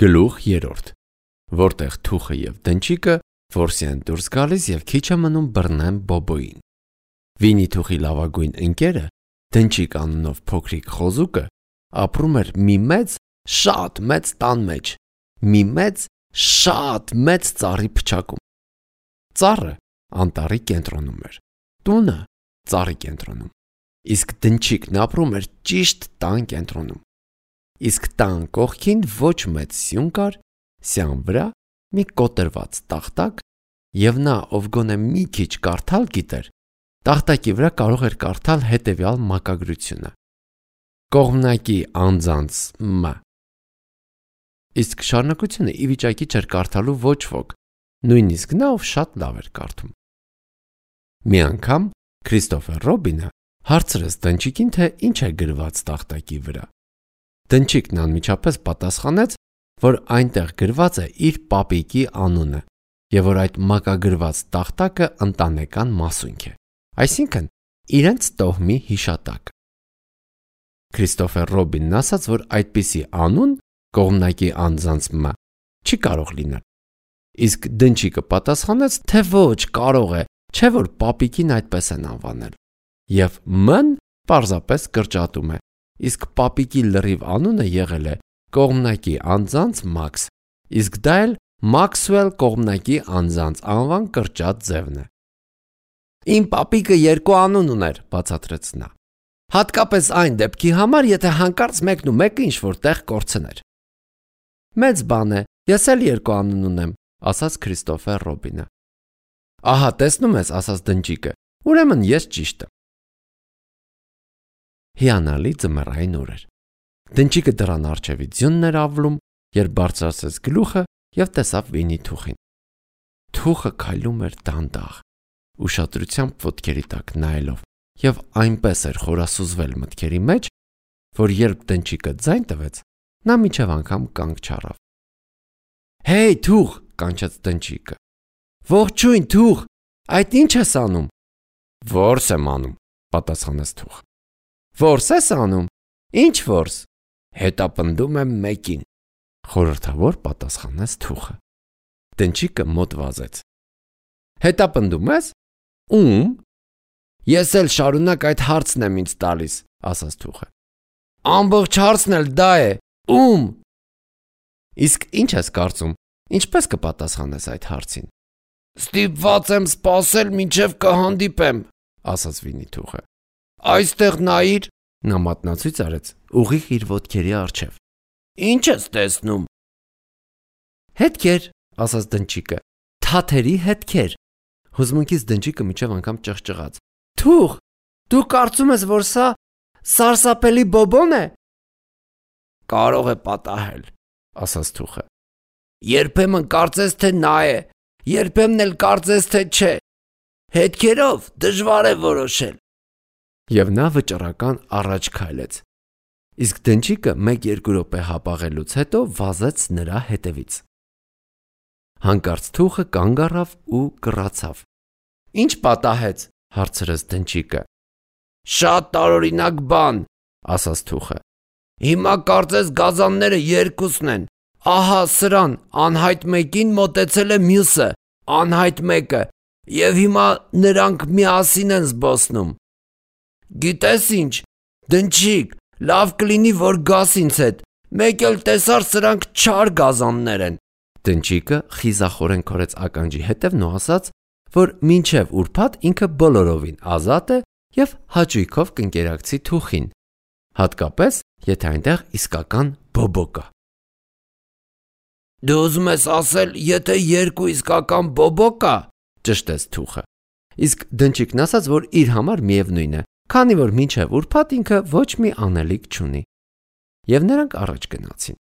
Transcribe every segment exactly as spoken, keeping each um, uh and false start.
Գլուխ երրորդ, որտեղ թուխը և դնչիկը որսի են դուրս գալիս և քիչ է մնում բռնեն Բոբոյին։ Վինի թուխի լավագույն ընկերը, դնչիկ անունով փոքրիկ խոզուկը, ապրում էր մի մեծ, շատ մեծ տան մեջ, մի մեծ, շատ մեծ ծառի փչակում։ Ծառը անտառի կենտրոնում էր, տունը ծառի կենտրոնում, իսկ դնչիկն ապրում էր ճիշտ տան կենտրոնում։ Իսկ տան կողքին ոչ մեծ սյուն կար, սյան վրա մի կոտրված տախտակ, և նա, ով գոնե մի քիչ կարդալ գիտեր, տախտակի վրա կարող էր կարդալ հետևյալ մակագրությունը. Կողմնակի անձանց մ։ Իսկ շարունակությունը ի վիճակի չէր կարդալու ոչ ոք, նույնիսկ նա, ով շատ լավ էր կարդում։ Մի անգամ Քրիստոֆեր Ռոբինը հարցրեց դնչիկին, թե ինչ է գրված տախտակի վրա։ Դնչիկն անմիջապես պատասխանեց, որ այնտեղ գրված է իր պապիկի անունը և որ այդ մակագրված տախտակը ընտանեկան մասունք է, այսինքն իրենց տոհմի հիշատակը։ Քրիստոֆեր Ռոբինն ասաց, որ այդպիսի անուն կողմնակի անձանց մ չի կարող լինել, իսկ դնչիկը պատասխանեց, թե ոչ կարող է, չէ որ պապիկին այդպես են անվանել, և մ-ն պարզապես կրճատում է, իսկ պապիկի լրիվ անունը եղել է կողմնակի անձանց Մաքս, իսկ դա էլ Մաքսվել կողմնակի անձանց անվան կրճատ ձևն է։ Իմ պապիկը երկու անուն ուներ, բացատրեց նա, հատկապես այն դեպքի համար, եթե հանկարծ մեկն ու մեկը ինչ-որ տեղ կորցներ։ Մեծ բան է, ես էլ երկու անուն ունեմ, ասաց Քրիստոֆեր Ռոբինը։ Ահա տեսնում ես, ասաց դնչիկը, ուրեմն ես ճիշտ եմ։ Հիանալի ձմեռային օր էր։ Դնչիկը դռան առջևից ձյունն էր ավլում, երբ բարձրացրեց գլուխը և տեսավ Վինի թուխին։ Թուխը քայլում էր դանդաղ, ուշադրությամբ ոտքերի տակ նայելով, և այնպես էր խորասուզվել մտքերի մեջ, որ երբ դնչիկը ձայն տվեց, նա մինչև անգամ կանգ չառավ։ Հեյ, թուխ, կանչեց դնչիկը։ Ողջույն, թուխ, այդ ի՞նչ ես անում։ Որս եմ անում, պատասխանեց թուխը։ Որս ես անում։ Ինչ որս։ Հետապնդում եմ մեկին, խորհրդավոր պատասխանեց թուխը։ Դնչիկը մոտ վազեց։ Հետապնդում ես։ Ում։ Ես էլ շարունակ այդ հարցն եմ ինձ տալիս, ասաց թուխը։ Ամբողջ հարցն էլ դա է։ Ում։ Իսկ ինչ ես կարծում, ինչպես կպատասխանես այդ հարցին։ Ստիպված եմ սպասել, մինչև կհանդիպեմ, ասաց Վինի թուխը։ Այստեղ նայիր, նա մատնացույց արեց ուղիղ իր ոտքերի առջև։ Ինչ ես տեսնում։ Հետքեր, ասաց դնչիկը, թաթերի հետքեր։ Հուզմունքից դնչիկը մինչև անգամ ճղճղաց։ Թուխ, դու կարծում ես, որ սա սարսափելի Բոբոն է։ Կարող է պատահել, ասաց թուխը։ Երբեմն կարծես թե նա է, երբեմն էլ կարծես թե չէ։ Հետքերով դժվար է որոշել։ Եվ նա վճռական առաջ քայլեց։ Իսկ դնչիկը մեկ-երկու րոպե հապաղելուց հետո վազեց նրա հետևից։ Հանկարծ թուխը կանգ առավ ու կռացավ։ Ինչ պատահեց, հարցրեց դնչիկը։ Շատ տարօրինակ բան, ասաց թուխը։ Հիմա կարծես գազանները երկուսն են։ Ահա սրան, անհայտ մեկին մոտեցել է մյուսը, անհայտ մեկը, և հիմա նրանք միասին են զբոսնում։ Գիտես ինչ, դնչիկ, լավ կլինի, որ գաս ինձ հետ, մեկ էլ տեսար սրանք չար գազաններ են։ Դնչիկը խիզախորեն քորեց ականջի հետևն ու ասաց, որ մինչև ուրբաթ ինքը բոլորովին ազատ է և հաճույքով կընկերակցի թուխին, հատկապես, եթե այնտեղ իսկական Բոբո կա։ Դու ուզում ես ասել, եթե երկու իսկական Բոբո կա, ճշտեց թուխը։ Իսկ դնչիկն ասաց, որ իր համար միևնույն է, քանի որ մինչև ուրբաթ ինքը ոչ մի անելիք չունի։ Եվ նրանք առաջ գնացին։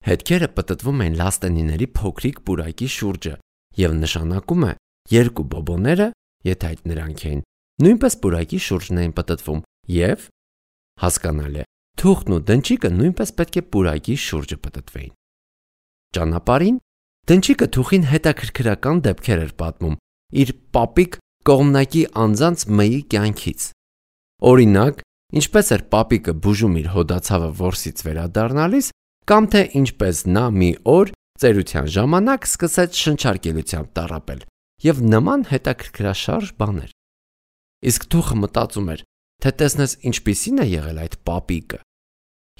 Հետքերը պտտվում են լաստենիների փոքրիկ պուրակի շուրջը և նշանակում է երկու Բոբոները, եթե այդ նրանք էին, նույնպես պուրակի շուրջն էին պտտվում և, հասկանալի է, թուխն ու դնչիկը նույնպես պետք է պուրակի շուրջը պտտվեին։ Ճանապարհին դնչիկը թուխին հետաքրքրական դեպքեր էր պատմում իր պապիկ կողմնակի անձանց Մ-ի կյանքից։ Օրինակ, ինչպես էր պապիկը բուժում իր հոդացավը որսից վերադառնալիս կամ թե ինչպես նա մի օր ծերության ժամանակ սկսեց շնչարկելությամբ տառապել եւ նման հետաքրքրաշարժ բաներ։ Իսկ թուխը մտածում էր, թե տեսնես ինչպիսին է եղել այդ պապիկը։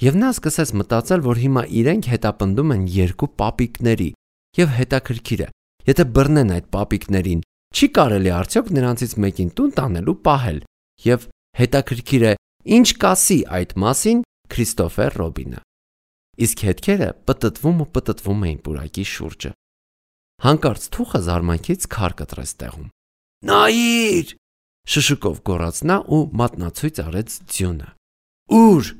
Եվ նա սկսեց մտածել, որ հիմա իրենք հետապնդում են երկու պապիկների եւ հետաքրքիր է, եթե բռնեն այդ պապիկներին, չի կարելի արդյոք նրանցից մեկին տուն տանելու պահել եւ հետաքրքիր է, ինչ կասի այդ մասին Քրիստոֆեր Ռոբինը։ Իսկ հետքերը պտտվում ու պտտվում էին պուրակի շուրջը։ Հանկարծ թուխը զարմանքից քար կտրեց տեղում։ Նայիր! Շշուկով գոռաց նա ու մատնացույց արեց ձյունը։ Ուր!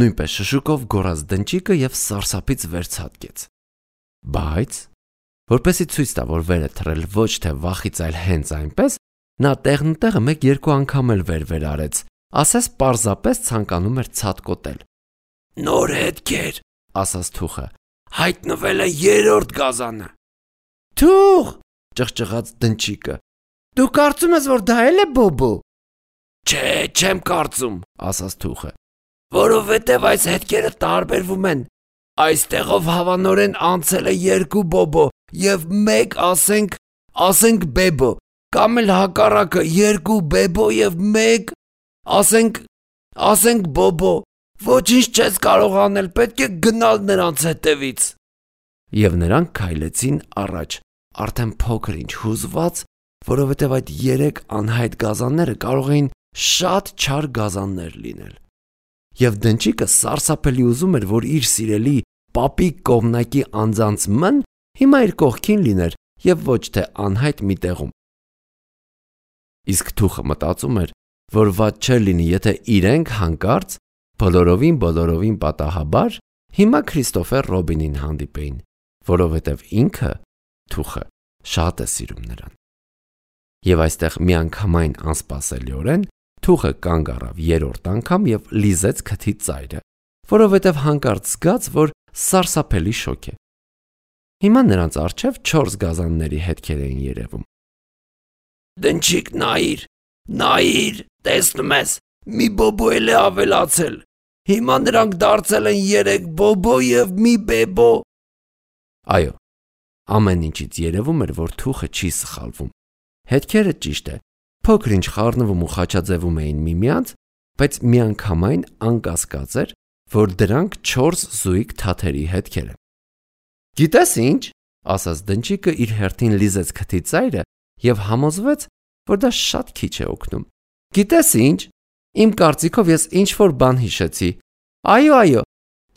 Նույնպես շշուկով գոռաց դնչիկը եւ սարսափից վերցածկեց։ Բայց որպեսի ցույց տա, որ վերը թռել ոչ թե վախից, այլ հենց այնպես, նա տեղն ու տեղը մեկ-երկու անգամ էլ վեր-վեր արեց, ասես պարզապես ցանկանում էր ցատկոտել։ Նոր հետքեր, ասաց թուխը, հայտնվել է երրորդ գազանը։ Թուխ! Ճղճղաց դնչիկը։ Դու կարծում ես, որ դա էլ է Բոբո։ Չէ, չեմ կարծում, ասաց թուխը, որովհետև այս հետքերը տարբերվում են։ Այստեղով հավանորեն անցել է երկու Բոբո եւ մեկ, ասենք, ասենք Բեբո, կամ էլ հակառակը երկու Բեբո եւ մեկ, ասենք, ասենք Բոբո։ Ոչինչ չես կարող անել, պետք է գնալ նրանց հետևից։ Եվ նրանք քայլեցին առաջ, արդեն փոքր ինչ հուզված, որովհետև այդ երեք անհայտ գազանները կարող էին շատ չար գազաններ լինել։ Եվ դնչիկը սարսափելի ուզում էր, որ իր սիրելի պապիկ կողմնակի անձանց մն հիմա իր կողքին լիներ եւ ոչ թե անհայտ մի տեղում։ Իսկ թուխը մտածում էր, որ վատ չէր լինի, եթե իրենք հանկարծ բոլորովին բոլորովին պատահաբար հիմա Քրիստոֆեր Ռոբինին հանդիպեին, որովհետև ինքը թուխը շատ է սիրում նրան։ Եվ այստեղ միանգամայն անսպասելիորեն թուխը կանգ առավ երրորդ անգամ եւ լիզեց քթի ծայրը, որովհետև հանկարծ զգաց, որ սարսափելի շոկ է։ Հիմա նրանց առջև չորս գազանների հետքեր էին երևում։ Դնչիկ, նայիր, նայիր, տեսնում ես, մի Բոբո էլ է ավելացել։ Հիմա նրանք դարձել են երեք Բոբո եւ մի Բեբո։ Այո, ամեն ինչից երևում էր, որ թուխը չի սխալվում։ Հետքերը ճիշտ է, փոքր ինչ խառնվում ու խաչաձևում էին միմյանց, բայց միանգամայն անկասկած էր, որ դրանք չորս զույգ թաթերի հետքեր են։ Գիտես ինչ, ասաց դնչիկը իր հերթին լիզեց քթի ծայրը եւ համոզվեց, որ դա շատ քիչ է օգնում։ Գիտես ինչ, իմ կարծիքով ես ինչ-որ բան հիշեցի։ Այո, այո,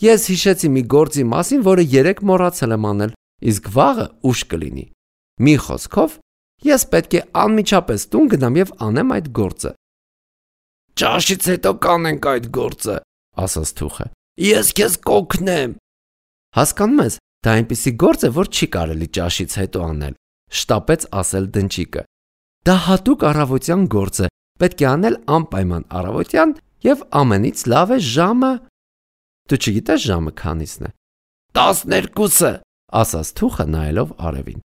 ես հիշեցի մի գործի մասին, որը երեք մոռացել եմ անել, իսկ վաղը ուշ կլինի։ Մի խոսքով, ես պետք է անմիջապես տուն գնամ եւ անեմ այդ գործը։ Ճաշից հետո կանենք այդ գործը, ասաց թուխը։ Ես քեզ կօգնեմ։ Հասկանում ես, դա այնպիսի գործ է, որ չի կարելի ճաշից հետո անել, շտապեց ասել դնչիկը։ Դա հատուկ առավոտյան գործ է, պետք է անել անպայման առավոտյան եւ ամենից լավ է ժամը։ Դու չգիտես ժամը քանիսն է։ տասներկուսը, ասաց թուխը նայելով արևին։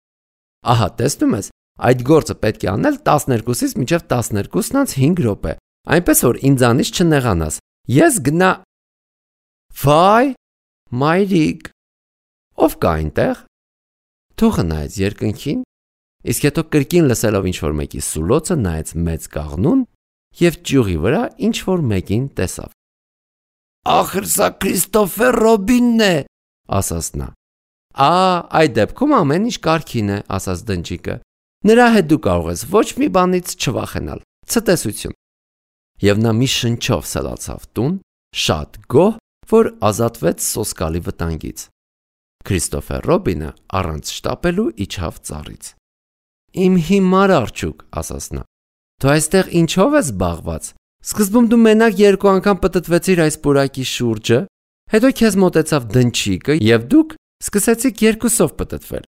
Ահա, տեսնում ես, այդ գործը պետք է անել տասներկուսից մինչև տասներկուսն անց հինգ րոպե, այնպես որ ինձանից չնեղանաս։ Ես գնա։ Վայ, մայրիկ, ով կա այնտեղ։ Թուխը նայեց երկնքին, իսկ հետո կրկին լսելով ինչ-որ մեկի սուլոցը նայեց մեծ կաղնուն եւ ճյուղի վրա ինչ-որ մեկին տեսավ։ Ախր սա Քրիստոֆեր Ռոբինն է, ասաց նա։ Ա, այդ դեպքում ամեն ինչ կարգին է, ասաց դնչիկը։ Նրա հետ դու կարող ես ոչ մի բանից չվախենալ։ Ցտեսություն։ Եվ նա մի շնչով սլացավ տուն, շատ գոհ, որ ազատվեց սոսկալի վտանգից։ Քրիստոֆեր Ռոբինը առանց շտապելու իջավ ծառից։ Իմ հիմար արջուկ, ասաց նա։ Դու այստեղ ինչով ես զբաղված։ Սկզբում դու մենակ երկու անգամ պտտվեցիր այս պուրակի շուրջը, հետո քեզ մոտեցավ դնչիկը եւ դուք սկսեցիք երկուսով պտտվել։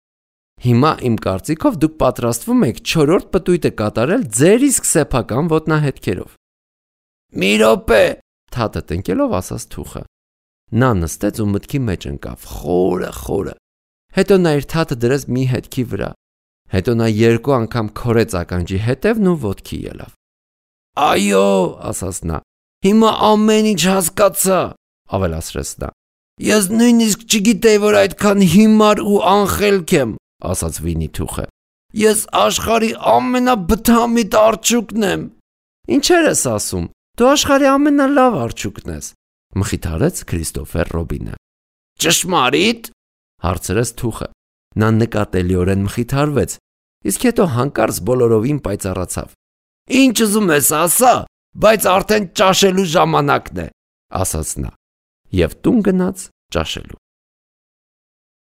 Հիմա իմ կարծիքով դուք պատրաստվում եք չորրորդ պտույտը կատարել ձեր իսկ սեփական ոտնահետքերով։ Մի րոպե, թաթը տնկելով ասաց թուխը։ Նա նստեց ու մտքի մեջ ընկավ, խորը, խորը։ Հետո նա իր թաթը դրեց մի հետքի վրա։ Հետո նա երկու անգամ քորեց ականջի հետևն ու ոտքի ելավ։ Այո, ասաց նա, հիմա ամեն ինչ հասկացա, ավելացրեց նա։ Ես նույնիսկ չգիտեի, որ այդքան հիմար ու անխելք եմ, ասաց Վինի-Թուխը։ Ես աշխարհի ամենաբթամիտ արջուկն եմ։ Ինչեր ես ասում, դու աշխարհի ամենալավ արջուկն ես, մխիթարեց Քրիստոֆեր Ռոբինը։ Ճշմարիտ, հարցրեց Թուխը։ Նա նկատելիորեն մխիթարվեց, իսկ հետո հանկարծ բոլորովին պայծառացավ։ Ինչ ուզում ես ասա, բայց արդեն ճաշելու ժամանակն է, ասաց նա, եւ տուն գնաց ճաշելու։